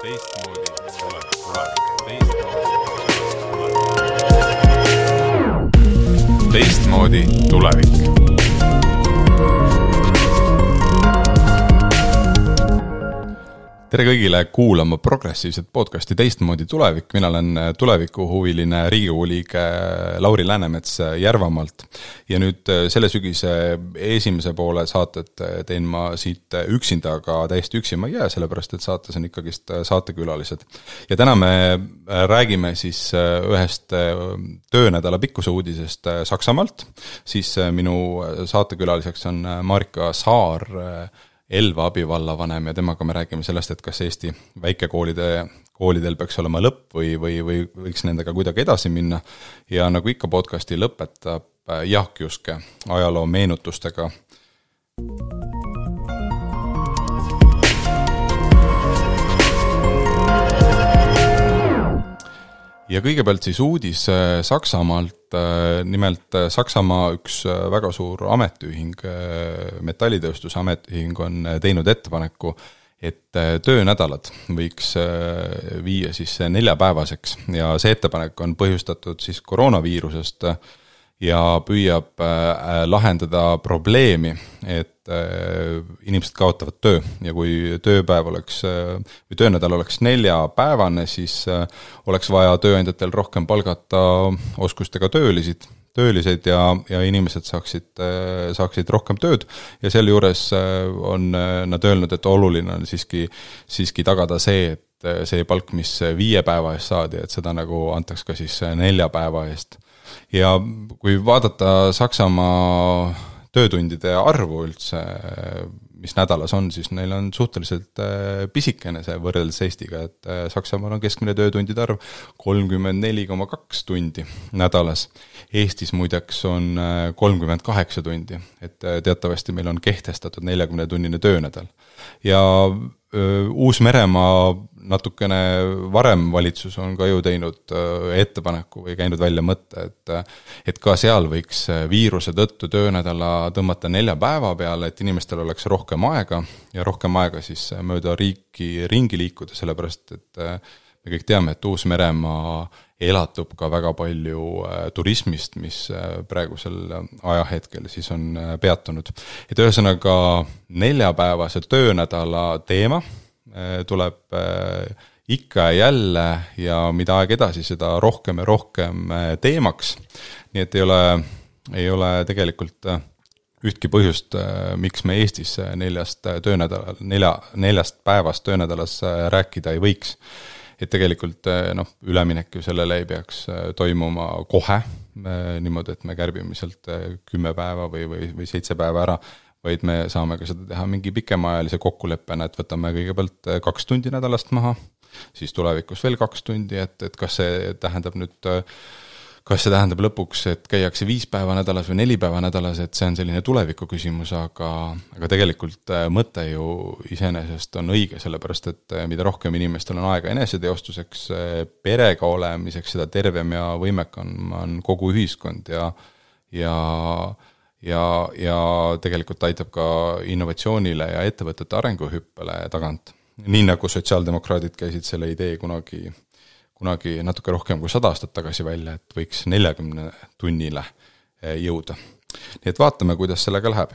Teistmoodi tulevik. Tere kõigile kuulama progressiivset podcasti Teistmoodi tulevik. Mina olen tulevikuhuviline Riigikogu liige Lauri Läänemets Järvamaalt. Ja nüüd selle sügise esimese poole saatet teen ma siit üksinda, aga täiesti üksi ma ei jää, sellepärast et saates on ikkagist saatekülalised. Ja täna me räägime siis ühest töönädala pikkuse uudisest Saksamaalt. Siis minu saatekülaliseks on Marika Saar, Elva abivallavanem, ja temaga me räägime sellest, et kas Eesti väikekoolidel peaks olema lõpp või võiks nendega kuidagi edasi minna. Ja nagu ikka podcasti lõpetab Jaak Juske ajaloo meenutustega. Ja kõigepealt siis uudis Saksamaalt. Nimelt Saksamaa üks väga suur ametiühing, metallitööstuse ametiühing on teinud ettepaneku, et töönädalad võiks viia siis 4-päevaseks. Ja see ettepanek on põhjustatud siis koroonaviirusest ja püüab lahendada probleemi, et inimesed kaotavad töö. Ja kui töönädal oleks 4-päevane, siis oleks vaja tööandjatel rohkem palgata oskustega töölised ja inimesed saaksid rohkem tööd. Ja selle juures on nad öelnud, et oluline on siiski tagada see, et see palk, mis 5 päeva eest saadi, et seda nagu antaks ka siis 4 päeva eest. Ja kui vaadata Saksamaa töötundide arvu üldse, mis nädalas on, siis neil on suhteliselt pisikene see võrreldes Eestiga, et Saksamaal on keskmine töötundide arv 34,2 tundi nädalas. Eestis muideks on 38 tundi, et teatavasti meil on kehtestatud 40-tunnine töönädal. Ja Uus-Meremaa natukene varem valitsus on ka ju teinud ettepaneku või käinud välja mõtte, et ka seal võiks viiruse tõttu töönädala tõmmata 4 päeva peale, et inimestel oleks rohkem aega ja rohkem aega siis mööda riiki ringi liikuda, sellepärast et me kõik teame, et Uus-Meremaa elatub ka väga palju turismist, mis praegusel ajahetkel siis on peatunud. Et ühesõnaga 4-päevase töönädala teema tuleb ikka ja jälle ja mida aeg edasi, seda rohkem ja rohkem teemaks. Nii et ei ole tegelikult ühtki põhjust, miks me Eestis 4 päevast töönädalas rääkida ei võiks. Et tegelikult üleminek ju sellele ei peaks toimuma kohe, niimoodi, et me kärbime sealt 10 päeva või 7 päeva ära, vaid me saame ka seda teha mingi pikemaajalise kokkuleppena, et võtame kõigepealt 2 tundi nädalast maha, siis tulevikus veel 2 tundi, et kas see tähendab lõpuks, et käiakse 5 päeva nädalas või 4 päeva nädalas, et see on selline tuleviku küsimus, aga tegelikult mõte ju iseenesest on õige, sellepärast et mida rohkem inimestel on aega eneseteostuseks, perega olemiseks, seda tervem ja võimekam on kogu ühiskond ja tegelikult aitab ka innovatsioonile ja ettevõtete arenguhüppele tagant. Nii nagu sotsiaaldemokraadid käisid selle idee kunagi natuke rohkem kui 100 aastat tagasi välja, et võiks 40 tunnile jõuda. Nii et vaatame, kuidas sellega läheb.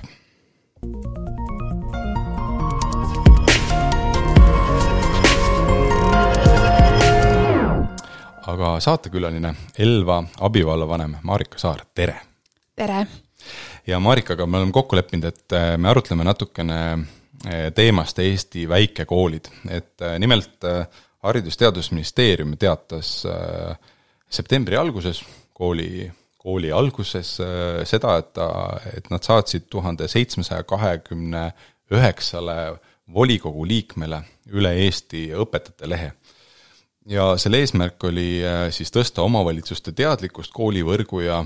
Aga saatekülaline Elva abivallavanem Marika Saar, tere! Tere! Ja Marikaga me oleme kokku leppinud, et me arutleme natukene teemast Eesti väikekoolid. Et nimelt Haridus- ja Teadusministeerium teatas septembri alguses, kooli alguses seda, et nad saatsid 1729 volikogu liikmele üle Eesti õpetajate lehe. Ja selle eesmärk oli siis tõsta omavalitsuste teadlikkust koolivõrgu ja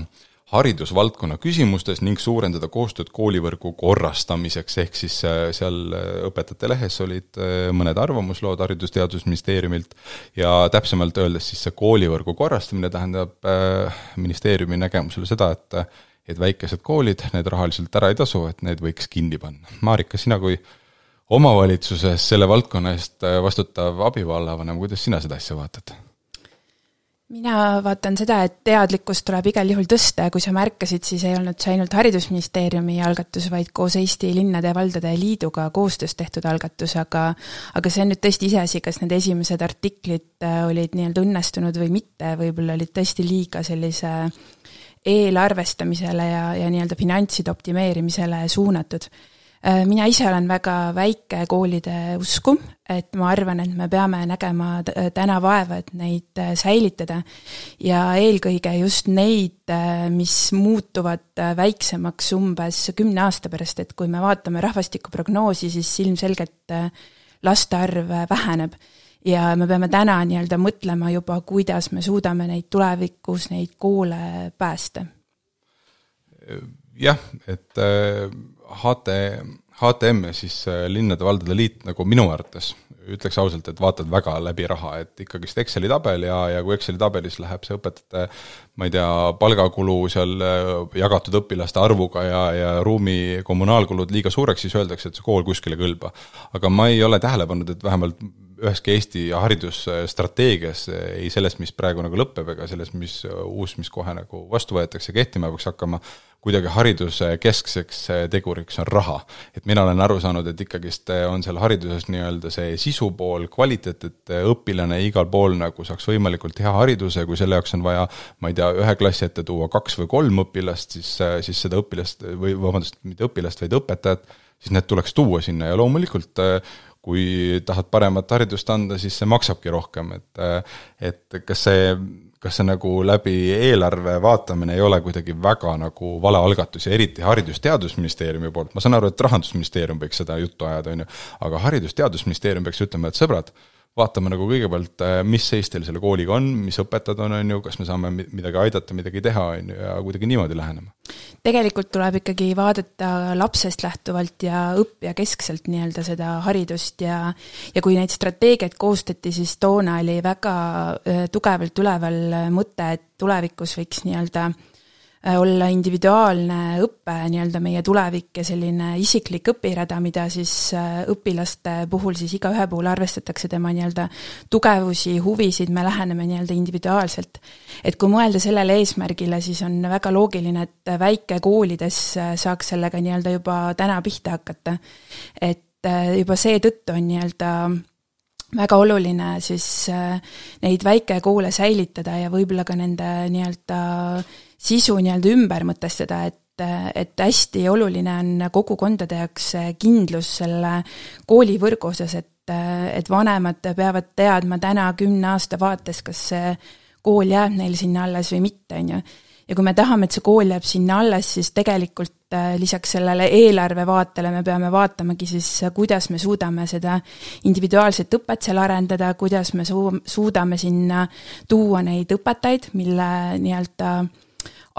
haridusvaldkonna küsimustes ning suurendada koostööd koolivõrgu korrastamiseks, ehk siis seal õpetajate lehes olid mõned arvamuslood Haridus- ja Teadusministeeriumilt ja täpsemalt öeldes siis see koolivõrgu korrastamine tähendab ministeeriumi nägemusele seda, et väikesed koolid, need rahaliselt ära ei tasu, et need võiks kinni panna. Marika, sina kui omavalitsuses selle valdkonna eest vastutav abivallavanem, kuidas sina seda asja vaatad? Mina vaatan seda, et teadlikkust tuleb igal juhul tõsta ja kui sa märkasid, siis ei olnud see ainult Haridusministeeriumi algatus, vaid koos Eesti Linnade ja Valdade Liiduga koostöös tehtud algatus, aga see on nüüd tõesti iseasi, kas need esimesed artiklid olid nii-öelda õnnestunud või mitte, võib-olla olid tõesti liiga sellise eelarvestamisele ja nii-öelda finantside optimeerimisele suunatud. Mina ise olen väga väike koolide usku, et ma arvan, et me peame nägema täna vaeva, et neid säilitada ja eelkõige just neid, mis muutuvad väiksemaks umbes 10 aasta pärast, et kui me vaatame rahvastikuprognoosi, siis ilmselgelt laste arv väheneb ja me peame täna nii-öelda mõtlema juba, kuidas me suudame neid tulevikus, neid koole päästa. Jah, et HTM ja siis Linnade Valdade Liit nagu minu arvates ütleks ausalt, et vaatad väga läbi raha, et ikkagist Exceli tabel ja kui Exceli tabelis läheb see õpetajate, ma ei tea, palgakulu seal jagatud õpilaste arvuga ja ruumi kommunaalkulud liiga suureks, siis öeldakse, et see kool kuskile kõlba. Aga ma ei ole tähele pannud, et vähemalt üheski Eesti haridusstrateegias ei sellest, mis praegu nagu lõpeb, ega sellest, mis kohe nagu vastu võetakse kehtima peaks hakkama, kuidagi hariduse keskseks teguriks on raha. Et mina olen aru saanud, et ikkagist on seal hariduses nii-öelda see sisupool, kvaliteet, et õpilane igal pool nagu saaks võimalikult hea hariduse, kui selle jaoks on vaja, ma ei tea, 1 klassi ette tuua 2 või 3 õpilast, siis seda õpilast, või vabandust, mitte õpilast, vaid õpetajat, siis need tuleks tuua sinna ja loomulikult kui tahad paremat haridust anda, siis see maksabki rohkem, et kas see nagu läbi eelarve vaatamine ei ole kuidagi väga nagu vale algatus ja eriti Haridus-Teadusministeeriumi poolt. Ma saan aru, et Rahandusministeerium võiks seda juttu ajada, aga Haridus-Teadusministeerium peaks ütlema, et sõbrad, vaatame nagu kõigepealt, mis seis teil selle kooliga on, mis õpetajad on, kas me saame midagi aidata, midagi teha ja kuidagi niimoodi lähenema. Tegelikult tuleb ikkagi vaadata lapsest lähtuvalt ja õppija keskselt nii-öelda seda haridust ja kui neid strateegiaid koostati, siis toona oli väga tugevalt üleval mõte, et tulevikus võiks nii-öelda olla individuaalne õppe nii-öelda meie tulevik ja selline isiklik õpirada, mida siis õpilaste puhul siis iga ühe puhul arvestatakse tema nii-öelda tugevusi, huvisid, me läheneme nii-öelda individuaalselt. Et kui mõelda sellele eesmärgile, siis on väga loogiline, et väikekoolides saaks sellega nii-öelda juba täna pihta hakata. Et juba see tõttu on nii-öelda väga oluline siis neid väikekoole säilitada ja võib-olla ka nende nii-öelda sisu nii-öelda ümber mõtestada, et hästi oluline on kogukondade jaoks kindlus selle koolivõrgu osas, et vanemad peavad teadma täna 10 aasta vaates, kas see kool jääb neil sinna alles või mitte, on ju. Ja kui me tahame, et see kool jääb sinna alles, siis tegelikult lisaks sellele eelarve vaatele me peame vaatamagi siis, kuidas me suudame seda individuaalset õpet seal arendada, kuidas me suudame sinna tuua neid õpetajaid, mille nii-öelda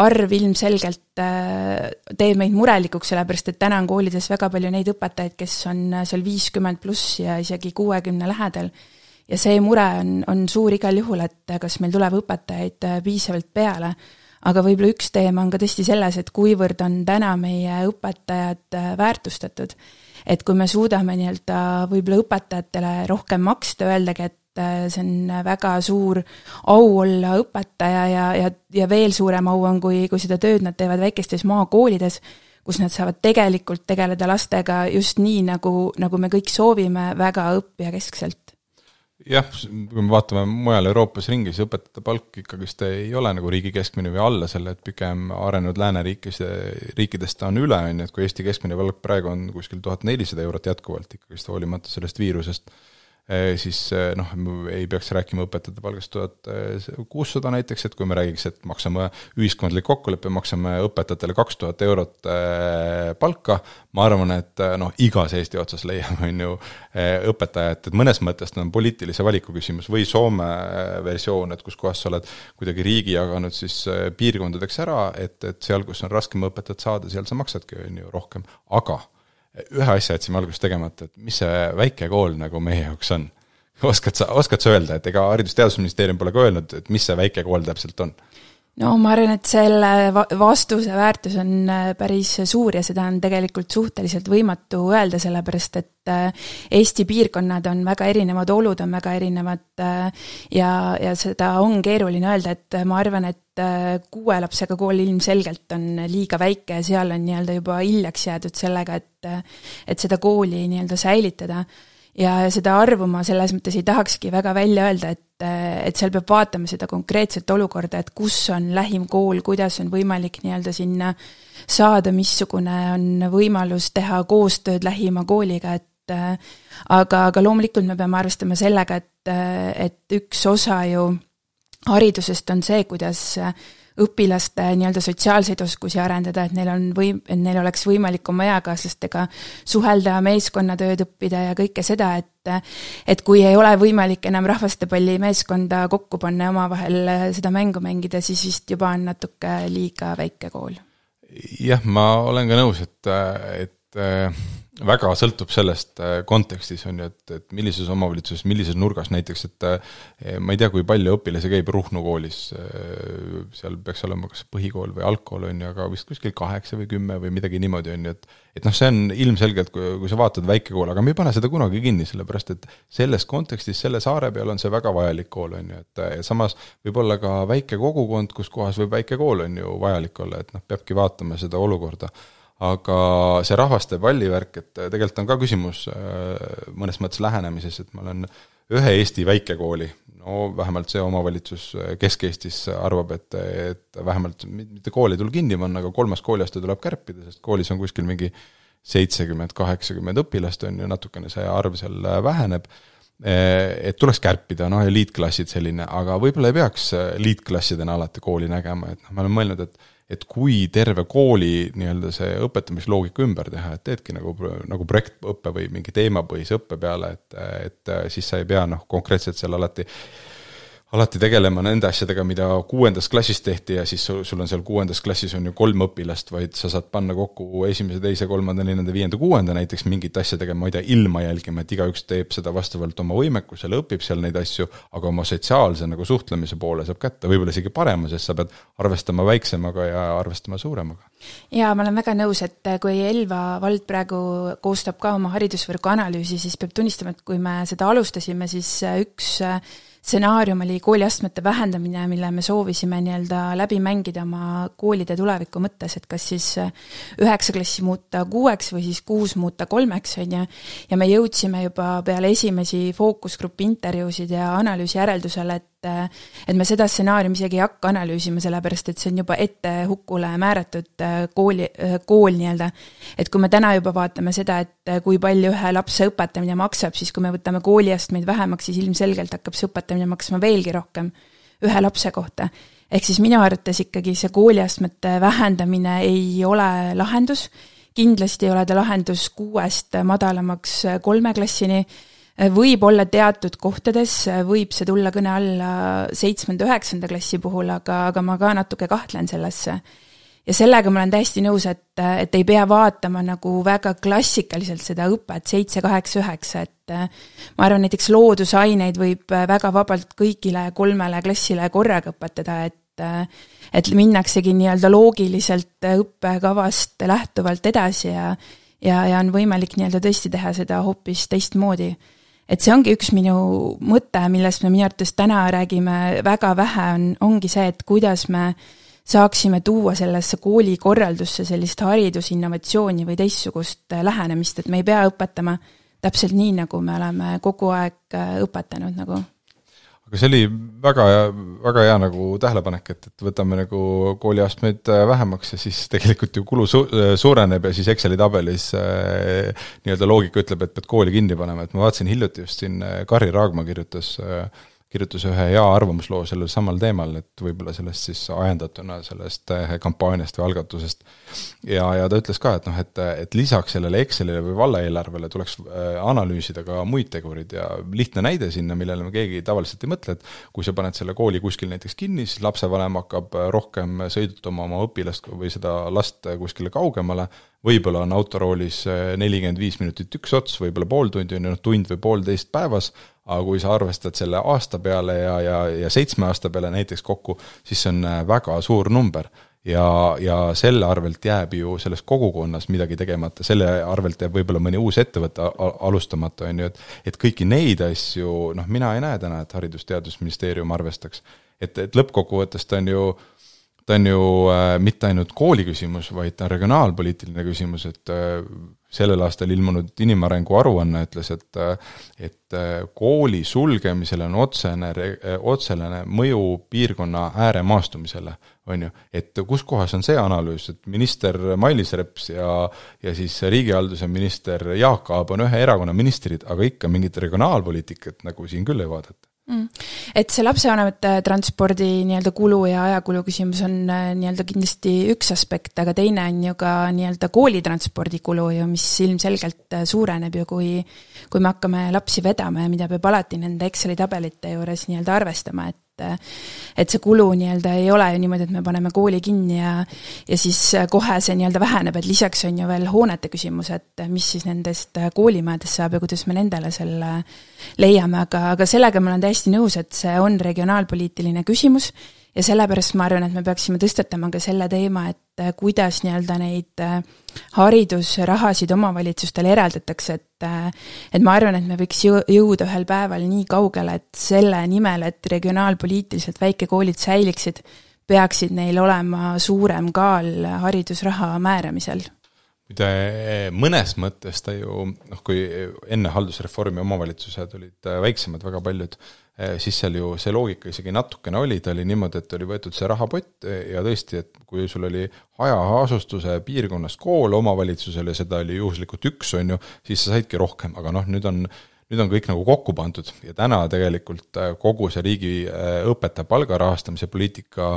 arv ilmselgelt teeb meid murelikuks, sellepärast et täna on koolides väga palju neid õpetajaid, kes on seal 50 pluss ja isegi 60 lähedal. Ja see mure on suur igal juhul, et kas meil tuleb õpetajaid piisavalt peale. Aga võib-olla üks teema on ka tõesti selles, et kuivõrd on täna meie õpetajad väärtustatud. Et kui me suudame nii-öelda võib-olla õpetajatele rohkem maksta, öeldagi, et see on väga suur au olla õpetaja ja veel suurem au on, kui seda tööd nad teevad väikestes maakoolides, kus nad saavad tegelikult tegeleda lastega just nii, nagu me kõik soovime, väga õppija keskselt. Jah, kui me vaatame mujal Euroopas ringi, siis õpetajate palk ikkagist ei ole nagu riigi keskmine või alla selle, et pigem arenenud lääneriikidest on üle, et kui Eesti keskmine palk praegu on kuskil 1400 eurot jätkuvalt ikkagist hoolimata sellest viirusest, siis ei peaks rääkima õpetajate palgast 1600 näiteks, et kui me räägiks, et maksame ühiskondlik kokkuleppe, maksame õpetajatele 2000 eurot palka, ma arvan, et igas Eesti otsas leiame õpetajat, et mõnes mõttes on poliitilise valiku küsimus või Soome versioon, et kus kohas sa oled kuidagi riigi jaganud siis piirkondadeks ära, et seal, kus on raskem õpetajat saada, seal sa maksadki rohkem, aga ühe asja jätsime alguses tegemata, et mis see väike kool nagu meie jaoks on? Oskad sa öelda, et ega Haridus-Teadusministeerium pole ka öelnud, et mis see väike kool täpselt on? No ma arvan, et selle vastuse väärtus on päris suur ja seda on tegelikult suhteliselt võimatu öelda, sellepärast et Eesti piirkonnad on väga erinevad, olud on väga erinevad ja seda on keeruline öelda, et ma arvan, et 6 lapsega kool ilmselgelt on liiga väike ja seal on nii-öelda juba hiljaks jäädud sellega, et seda kooli nii-öelda säilitada. Ja seda arvu ma selles mõttes ei tahakski väga välja öelda, et seal peab vaatama seda konkreetset olukorda, et kus on lähim kool, kuidas on võimalik nii-öelda sinna saada, missugune on võimalus teha koostööd lähima kooliga, aga loomulikult me peame arvestama sellega, et üks osa ju haridusest on see, kuidas õpilaste nii-öelda sotsiaalseid oskusi arendada, et neil oleks võimalik oma eakaaslastega suhelda, meeskonnatööd õppida ja kõike seda, et kui ei ole võimalik enam rahvastepalli meeskonda kokku panna ja omavahel seda mängu mängida, siis vist juba on natuke liiga väike kool. Jah, ma olen ka nõus, et väga sõltub sellest kontekstis on ju, et millises omavalitsuses, millises nurgas näiteks, et ma ei tea, kui palju õpilasi käib Ruhnu koolis, seal peaks olema kas põhikool või algkool on ju, aga vist kuskil 8 või 10 või midagi niimoodi on ju, et noh, see on ilmselgelt, kui sa vaatad väike kool, aga me ei pane seda kunagi kinni, sellepärast et selles kontekstis, selle saare peal on see väga vajalik kool on ju, et samas võib olla ka väike kogukond, kus kohas võib väike kool on ju vajalik olla, et noh, peabki vaatama seda olukorda. Aga see rahvaste pallivärk, et tegelikult on ka küsimus mõnes mõttes lähenemises, et ma olen ühe Eesti väikekooli, no vähemalt see omavalitsus Kesk-Eestis arvab, et vähemalt mitte kooli tuleb kinni panna, aga 3. kooliaste tuleb kärpida, sest koolis on kuskil mingi 70-80 õpilast on ju, natukene see arv seal väheneb, et tuleks kärpida, noh ja liitklassid selline, aga võib-olla ei peaks liitklassidena alati kooli nägema, et noh, ma olen mõelnud, et kui terve kooli nii-öelda see õpetamisloogika ümber teha, et teedki nagu projektõppe või mingi teemapõhise õppe peale, et siis sa ei pea konkreetselt seal alati tegelema nende asjadega, mida 6. klassis tehti ja siis sul on seal 6. klassis on ju 3 õpilast, vaid sa saad panna kokku 1., 2., 3., 4., 5., 6. näiteks mingit asja tegema, ma ei tea, ilma jälgima, et igaüks teeb seda vastavalt oma võimekusele, õpib seal neid asju, aga oma sotsiaalse suhtlemise poole saab kätte, võib-olla isegi parema, sest sa pead arvestama väiksemaga ja arvestama suuremaga. Ja ma olen väga nõus, et kui Elva vald praegu koostab ka oma haridusvõrgu analüüsi, siis peab tunnistama, et kui me seda alustasime, siis üks stsenaarium oli kooliastmete vähendamine, mille me soovisime nii-öelda läbi mängida oma koolide tuleviku mõttes, et kas siis 9 klassi muuta 6 või siis 6 muuta 3, on ju, ja me jõudsime juba peale esimesi fookusgrupi intervjuusid ja analüüsi järeldusele, et me seda stsenaariumi isegi ei hakka analüüsima, sellepärast et see on juba ette hukule määratud kool nii-öelda. Et kui me täna juba vaatame seda, et kui palju ühe lapse õpetamine maksab, siis kui me võtame kooliastmeid vähemaks, siis ilmselgelt hakkab see õpetamine maksma veelgi rohkem ühe lapse kohta. Ehk siis minu arvates ikkagi see kooliastmete vähendamine ei ole lahendus. Kindlasti ei ole ta lahendus 6 madalamaks 3 klassini. Võib olla teatud kohtades, võib see tulla kõne alla 7.-9. klassi puhul, aga ma ka natuke kahtlen sellesse. Ja sellega ma olen täiesti nõus, et ei pea vaatama nagu väga klassikaliselt seda õpet 7, 8, 9, et ma arvan, näiteks loodusaineid võib väga vabalt kõigile 3 klassile korraga õpetada, et minnaksegi nii-öelda loogiliselt õppekavast lähtuvalt edasi ja on võimalik nii-öelda tõesti teha seda hoopis teistmoodi. Et see ongi üks minu mõte, millest me minu arvates täna räägime väga vähe, ongi see, et kuidas me saaksime tuua sellesse koolikorraldusse sellist haridusinnovatsiooni või teistsugust lähenemist, et me ei pea õpetama täpselt nii, nagu me oleme kogu aeg õpetanud nagu. Aga see oli väga hea tähelepanek, et võtame kooliastmeid vähemaks ja siis tegelikult ju kulu suureneb ja siis Exceli tabelis nii-öelda loogika ütleb, et pead kooli kinni panema, et ma vaatasin hiljuti just siin Kari Raagma kirjutas ühe hea arvamusloo sellel samal teemal, et võib-olla sellest siis ajendatuna sellest kampaaniast või algatusest. Ja ta ütles ka, et lisaks sellele Excelile või vallaeelarvele tuleks analüüsida ka muid tegurid ja lihtne näide sinna, millele me keegi tavaliselt ei mõtle, et kui sa paned selle kooli kuskil näiteks kinni, siis lapsevanem hakkab rohkem sõidutama oma õpilast või seda last kuskile kaugemale võib-olla on autoroolis 45 minutit üks ots, võib-olla pool tundi, tund või poolteist päevas, aga kui sa arvestad selle aasta peale ja 7 aasta peale näiteks kokku, siis see on väga suur number. Ja selle arvelt jääb ju selles kogukonnas midagi tegemata, selle arvelt jääb võib-olla mõni uus ettevõte alustamata, on ju, et kõiki neid asju, mina ei näe täna, et Haridus-Teadusministeerium arvestaks. Et lõppkokkuvõttes ta on ju mitte ainult kooli küsimus, vaid ta on regionaalpoliitiline küsimus, et sellel aastal ilmunud inimarengu aruanne ütles, et kooli sulgemisel on otsene mõju piirkonna ääremaastumisele, on ju. Et kus kohas on see analüüs, et minister Mailis Reps ja siis riigihalduse minister Jaak Aab on ühe erakonna ministrid, aga ikka mingit regionaalpoliitikat nagu siin küll ei vaadata. Et see lapsevanemate transpordi nii-öelda kulu ja ajakulu küsimus on nii-öelda kindlasti üks aspekt, aga teine on ju ka nii-öelda koolitranspordi kulu ju, mis ilmselgelt suureneb ju, kui me hakkame lapsi vedama ja mida peab alati nende Exceli tabelite juures nii-öelda arvestama, et see kulu nii-öelda ei ole ju niimoodi, et me paneme kooli kinni ja siis kohe see nii-öelda väheneb, et lisaks on ju veel hoonete küsimus, et mis siis nendest koolimajadest saab ja kuidas me nendele selle leiame, aga sellega ma olen täiesti nõus, et see on regionaalpoliitiline küsimus ja sellepärast ma arvan, et me peaksime tõstatama ka selle teema, et kuidas nii-öelda neid haridusrahasid omavalitsustele eraldatakse, et ma arvan, et me võiks jõuda ühel päeval nii kaugele, et selle nimel, et regionaalpoliitiliselt väikekoolid säiliksid, peaksid neil olema suurem kaal haridusraha määramisel. Mõnes mõttes ta ju, kui enne haldusreformi omavalitsused olid väiksemad väga paljud, siis seal ju see loogika isegi natukene oli, ta oli niimoodi, et oli võetud see rahapott ja tõesti, et kui sul oli hajaasustuse piirkonnas kool omavalitsusel ja seda oli juhuslikult üks, on ju, siis sa saidki rohkem, aga nüüd on kõik nagu kokku pandud ja täna tegelikult kogu see riigi õpetaja palga rahastamise poliitika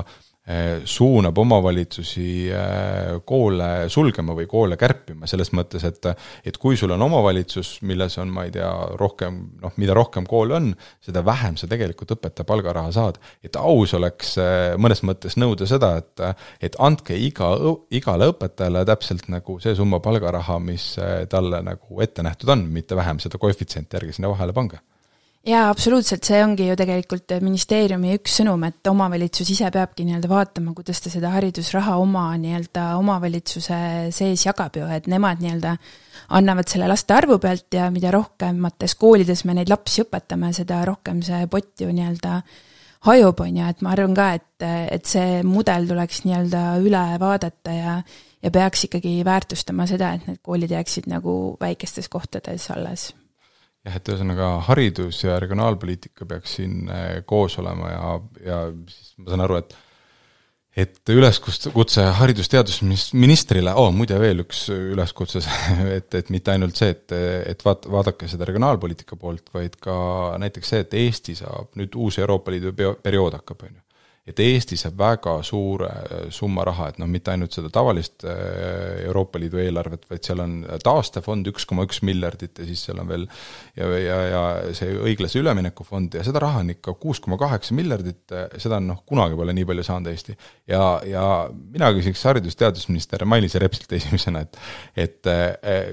suunab omavalitsusi koole sulgema või koole kärpima, selles mõttes, et kui sul on omavalitsus, milles on, ma ei tea, rohkem, mida rohkem kool on, seda vähem sa tegelikult õpetaja palgaraha saad. Et aus oleks mõnes mõttes nõuda seda, et andke igale õpetajale täpselt nagu see summa palgaraha, mis talle nagu ette nähtud on, mitte vähem seda koefitsienti järgi sinna vahele pange. Jaa, absoluutselt, see ongi ju tegelikult ministeeriumi üks sõnum, et omavalitsus ise peabki nii-öelda vaatama, kuidas ta seda haridusraha oma nii-öelda omavalitsuse sees jagab ju, et nemad nii-öelda annavad selle laste arvu pealt ja mida rohkemates koolides me neid lapsi õpetame, seda rohkem see pott ju nii-öelda hajub on ja et ma arvan ka, et see mudel tuleks nii-öelda üle vaadata ja peaks ikkagi väärtustama seda, et need koolid jääksid nagu väikestes kohtades alles. Jah, et ühesõnaga haridus ja regionaalpoliitika peaks siin koos olema ja siis ma saan aru, et üleskutse haridusteadusministrile, muide veel üks üleskutses, et mitte ainult see, et vaadake seda regionaalpoliitika poolt, vaid ka näiteks see, et Eesti saab nüüd uus Euroopa Liidu periood hakkab, on ju. Et Eesti saab väga suure summa raha, et mitte ainult seda tavalist Euroopa Liidu eelarvet, vaid seal on taastefond 1,1 miljardit ja siis seal on veel ja see õiglase üleminekufond ja seda raha on ikka 6,8 miljardit, seda on kunagi pole nii palju saanud Eesti. Ja mina küsiks haridusteadusminister Mailis Repsilt esimesena, et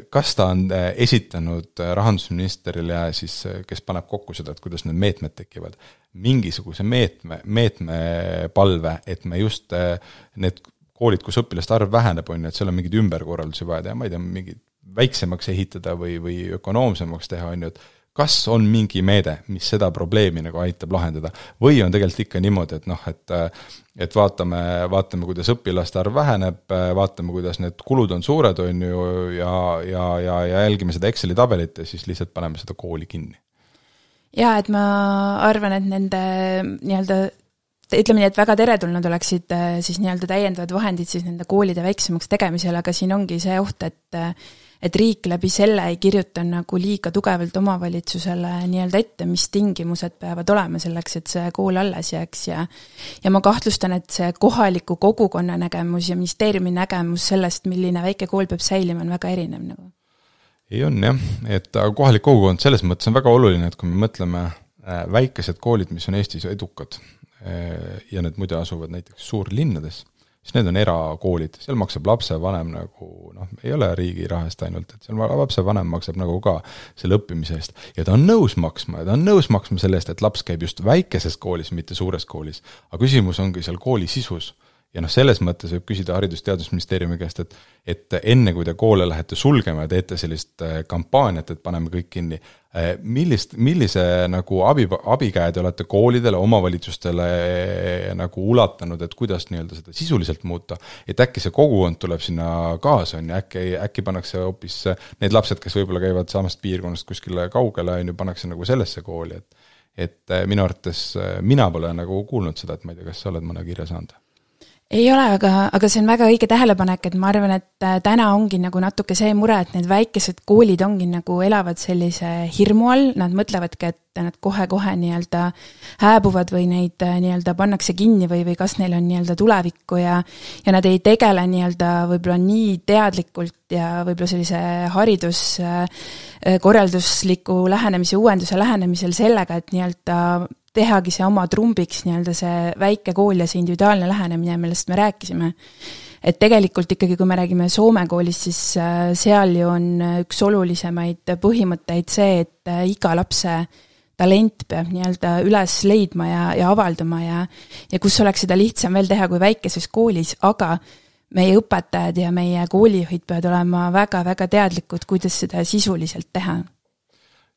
kas ta on esitanud rahandusministerile siis, kes paneb kokku seda, et kuidas need meetmed tekivad, mingisuguse meetme palve, et me just need koolid, kus õpilaste arv väheneb, on, et seal on mingid ümberkorraldusi vaja, ma ei tea, mingid väiksemaks ehitada või ökonoomsemaks teha, on ju, et kas on mingi meede, mis seda probleemi nagu aitab lahendada, või on tegelikult ikka niimoodi, et vaatame, kuidas õpilaste arv väheneb, vaatame, kuidas need kulud on suured, on ju, ja jälgime seda Exceli tabelit ja siis lihtsalt paneme seda kooli kinni. Jaa, et ma arvan, et nende nii-öelda, ütleme nii, et väga teretulnud oleksid siis nii-öelda täiendavad vahendid siis nende koolide väiksemaks tegemisel, aga siin ongi see oht, et riik läbi selle ei kirjuta nagu liiga tugevalt omavalitsusele nii-öelda ette, mis tingimused peavad olema selleks, et see kool alles jääks ja ma kahtlustan, et see kohaliku kogukonna nägemus ja ministeeriumi nägemus sellest, milline väike kool peab säilima, on väga erinev nagu. Ei on jah, et kohalik kogukond selles mõttes on väga oluline, et kui me mõtleme väikesed koolid, mis on Eestis edukad ja need muide asuvad näiteks suurlinnades, siis need on erakoolid, seal maksab lapsevanem nagu, ei ole riigi rahast ainult, et seal lapsevanem maksab nagu ka selle õppimise eest. Ja ta on nõus maksma selle eest, et laps käib just väikeses koolis, mitte suures koolis. Aga küsimus ongi seal kooli sisus. Ja selles mõttes võib küsida Haridus-Teadusministeeriumi käest, et enne kui te koole lähete sulgema ja teete sellist kampaaniat, et paneme kõik kinni, millise nagu abikäe te olete koolidele, omavalitsustele nagu ulatanud, et kuidas nii-öelda seda sisuliselt muuta, et äkki see kogukond tuleb sinna kaasa, äkki pannakse hoopis need lapsed, kes võib-olla käivad samast piirkonnast kuskile kaugele, pannakse nagu sellesse kooli, et minu arvates mina pole nagu kuulnud seda, et ma ei tea, kas sa oled mõne kirja saanud? Ei ole, aga see on väga õige tähelepanek, et ma arvan, et täna ongi nagu natuke see mure, et need väikesed koolid ongi nagu elavad sellise hirmu all, nad mõtlevadki, et nad kohe-kohe nii-öelda hääbuvad või neid nii-öelda pannakse kinni või kas neil on nii-öelda tulevikku ja nad ei tegele nii-öelda võib-olla nii teadlikult ja võib-olla sellise hariduskorraldusliku lähenemise, uuenduse lähenemisel sellega, et nii-öelda tehagi see oma trumbiks nii-öelda see väike kool ja see individuaalne lähenemine, millest me rääkisime. Et tegelikult ikkagi, kui me räägime Soome koolist, siis seal ju on üks olulisemaid põhimõtteid see, et iga lapse talent peab nii-öelda üles leidma ja avalduma ja kus oleks seda lihtsam veel teha kui väikeses koolis, aga meie õpetajad ja meie koolijuhid peavad olema väga-väga teadlikud, kuidas seda sisuliselt teha.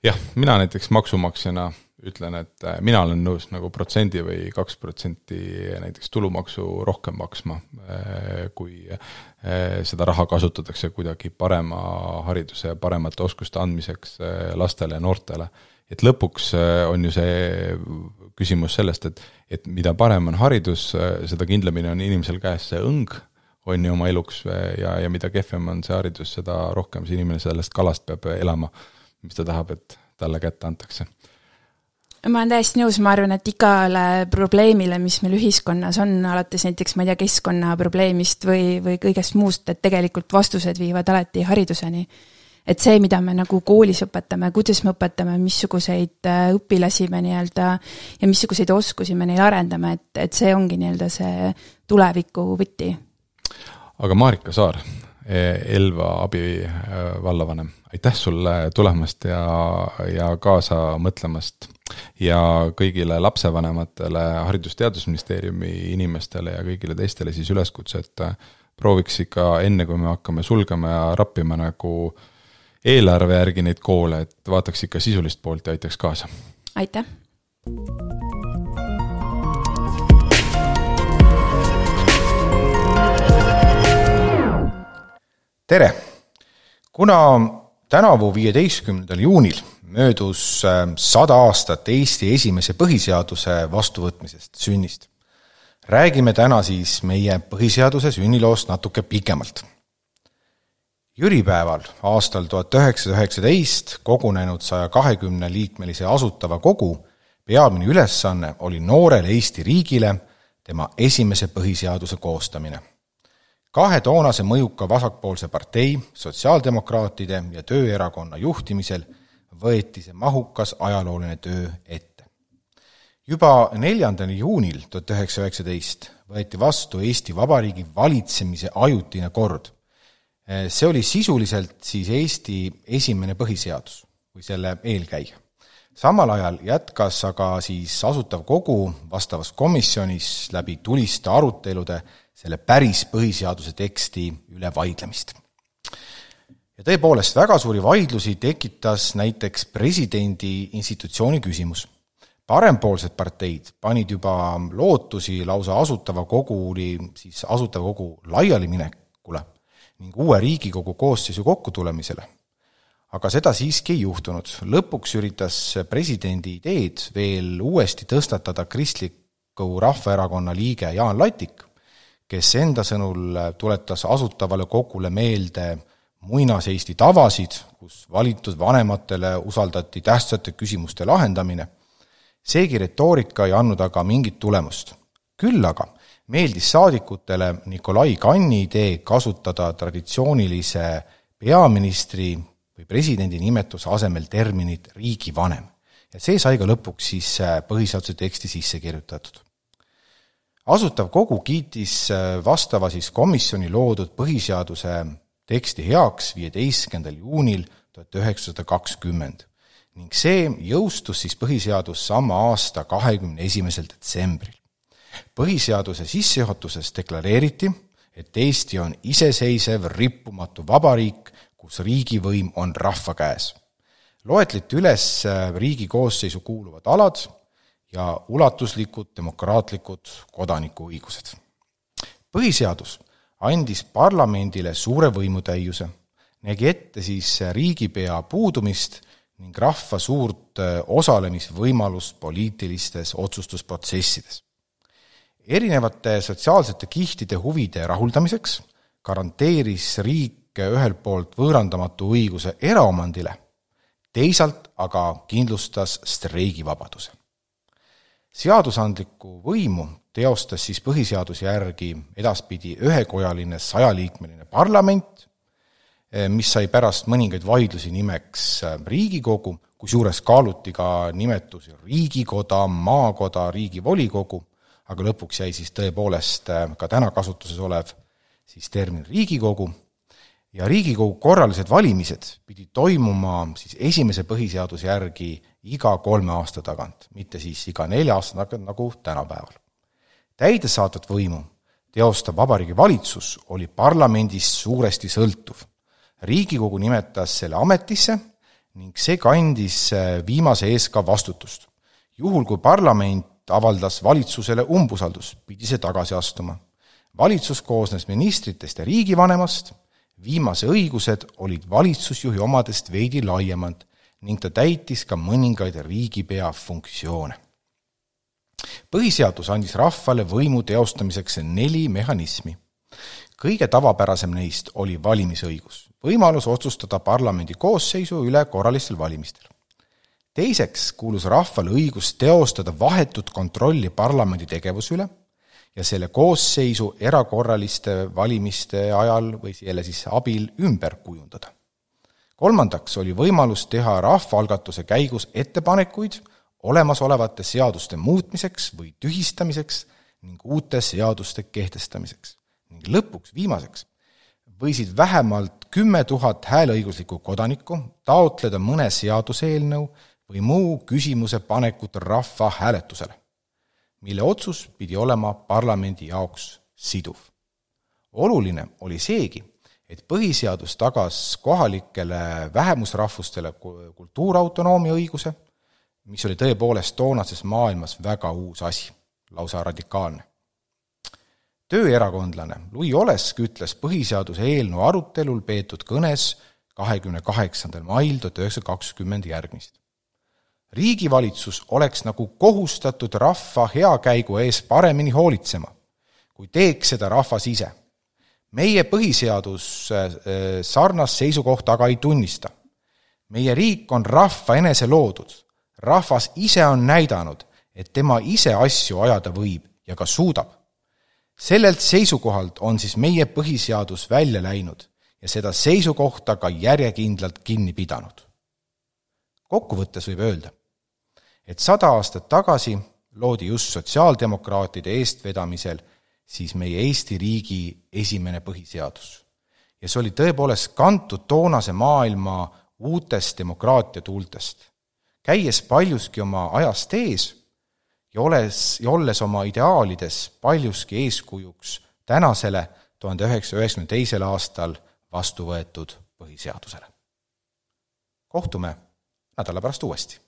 Jah, mina näiteks maksumaksjana ütlen, et mina olen nõus nagu 1% või 2% näiteks tulumaksu rohkem maksma, kui seda raha kasutatakse kuidagi parema hariduse ja paremate oskuste andmiseks lastele ja noortele. Et lõpuks on ju see küsimus sellest, et mida parem on haridus, seda kindlamini on inimesel käes see õng, on ju oma eluks ja mida kehvem on see haridus, seda rohkem see inimene sellest kalast peab elama, mis ta tahab, et talle kätte antakse. Ma olen täiesti nõus, ma arvan, et igale probleemile, mis meil ühiskonnas on, alates näiteks, ma ei tea, keskkonnaprobleemist või kõigest muust, et tegelikult vastused viivad alati hariduseni. Et see, mida me nagu koolis õpetame, kuidas me õpetame, missuguseid õpilasi me nii-öelda ja missuguseid oskusi me neil arendame, et see ongi nii-öelda see tuleviku võti. Aga Marika Saar, Elva abivallavanem, aitäh sulle tulemast ja kaasa mõtlemast ja kõigile lapsevanematele, Haridus-Teadusministeeriumi inimestele ja kõigile teistele siis üleskutse, et prooviks ikka enne, kui me hakkame sulgema ja rappima nagu eelarve järgi neid koole, et vaataks ikka sisulist poolt ja aitaks kaasa. Aitäh! Tere! Kuna tänavu 15. juunil möödus 100 aastat Eesti esimese põhiseaduse vastuvõtmisest sünnist, räägime täna siis meie põhiseaduse sünniloost natuke pikemalt. Jüripäeval aastal 1919 kogunenud 120 liikmelise asutava kogu peamine ülesanne oli noorele Eesti riigile tema esimese põhiseaduse koostamine. 2 toonase mõjuka vasakpoolse partei, sotsiaaldemokraatide ja tööerakonna juhtimisel võeti see mahukas ajalooline töö ette. Juba 4. juunil 1919 võeti vastu Eesti Vabariigi valitsemise ajutine kord. See oli sisuliselt siis Eesti esimene põhiseadus või selle eelkäija. Samal ajal jätkas aga siis asutav kogu vastavas komisjonis läbi tuliste arutelude selle päris põhiseaduse teksti üle vaidlemist. Ja tõepoolest väga suuri vaidlusi tekitas näiteks presidendi institutsiooni küsimus. Parempoolsed parteid panid juba lootusi lausa asutava kogu laialiminekule ning uue Riigikogu koosseisu kokkutulemisele. Aga seda siiski ei juhtunud. Lõpuks üritas presidendi ideed veel uuesti tõstatada Kristliku Rahvaerakonna liige Jaan Latik, kes enda sõnul tuletas asutavale kogule meelde muinas Eesti tavasid, kus valitud vanematele usaldati tähtsate küsimuste lahendamine. Seegi retoorika ei andnud aga mingit tulemust. Küll aga meeldis saadikutele Nikolai Kanni idee kasutada traditsioonilise peaministri või presidendi nimetuse asemel terminit riigivanem. Ja see sai ka lõpuks siis põhiseaduse teksti sisse kirjutatud. Asutav kogu kiitis vastava siis komisjoni loodud põhiseaduse teksti heaks 15. juunil 1920 ning see jõustus siis põhiseadus sama aasta 21. detsembril. Põhiseaduse sissejuhatuses deklareeriti, et Eesti on iseseisev rippumatu vabariik, kus riigivõim on rahva käes. Loetleti üles riigi koosseisu kuuluvad alad ja ulatuslikud demokraatlikud kodanikuõigused. Põhiseadus andis parlamendile suure võimutäiuse, nägi ette siis riigipea puudumist ning rahva suurt osalemisvõimalust poliitilistes otsustusprotsessides. Erinevate sotsiaalsete kihtide huvide rahuldamiseks garanteeris riik ühelt poolt võõrandamatu õiguse eraomandile, teisalt aga kindlustas streigivabaduse. Seadusandlikku võimu teostas siis põhiseaduse järgi edaspidi ühekojaline 100-liikmeline parlament, mis sai pärast mõningaid vaidlusi nimeks Riigikogu, kusjuures kaaluti ka nimetusi Riigikoda, Maakoda, Riigivolikogu, aga lõpuks jäi siis tõepoolest ka täna kasutuses olev siis termin Riigikogu. Ja Riigikogu korralised valimised pidi toimuma siis esimese põhiseaduse järgi iga 3 aasta tagant, mitte siis iga 4 aasta tagant nagu tänapäeval. Täidesaatvat võimu teostab Vabariigi Valitsus oli parlamendist suuresti sõltuv. Riigikogu nimetas selle ametisse ning see kandis viimase ees ka vastutust. Juhul kui parlament avaldas valitsusele umbusaldus, pidi see tagasi astuma. Valitsus koosnes ministritest ja riigivanemast, viimase õigused olid valitsusjuhi omadest veidi laiemad ning ta täitis ka mõningaid riigipea funktsioone. Põhiseadus andis rahvale võimu teostamiseks 4 mehhanismi. Kõige tavapärasem neist oli valimisõigus, võimalus otsustada parlamendi koosseisu üle korralistel valimistel. Teiseks kuulus rahvale õigus teostada vahetut kontrolli parlamendi tegevuse üle ja selle koosseisu erakorraliste valimiste ajal või selle siis abil ümber kujundada. Kolmandaks oli võimalus teha rahvaalgatuse käigus ettepanekuid olemasolevate seaduste muutmiseks või tühistamiseks ning uute seaduste kehtestamiseks. Ning lõpuks viimaseks võisid vähemalt 10 000 hääleõiguslikku kodanikku taotleda mõne seaduseelnõu või muu küsimuse panekut rahva hääletusele, mille otsus pidi olema parlamendi jaoks siduv. Oluline oli seegi, et põhiseadus tagas kohalikele vähemusrahvustele kultuurautonoomia õiguse, mis oli tõepoolest toonases maailmas väga uus asi, lausa radikaalne. Tööerakondlane Louis Olesk ütles põhiseaduse eelnõu arutelul peetud kõnes 28. mail 1920 järgmist. Riigivalitsus oleks nagu kohustatud rahva heakäigu ees paremini hoolitsema, kui teeks seda rahvas ise. Meie põhiseadus sarnast seisukohta aga ei tunnista. Meie riik on rahva enese loodud. Rahvas ise on näidanud, et tema ise asju ajada võib ja ka suudab. Sellelt seisukohalt on siis meie põhiseadus välja läinud ja seda seisukohta ka järjekindlalt kinni pidanud. Kokkuvõttes võib öelda, et 100 aastat tagasi loodi just sotsiaaldemokraatide eestvedamisel siis meie Eesti riigi esimene põhiseadus. Ja see oli tõepoolest kantud toonase maailma uutest demokraatia tuultest, käies paljuski oma ajast ees ja olles oma ideaalides paljuski eeskujuks tänasele 1992. aastal vastu võetud põhiseadusele. Kohtume nädala pärast uuesti.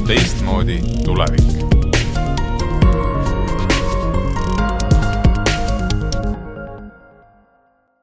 Teistmoodi tulevik.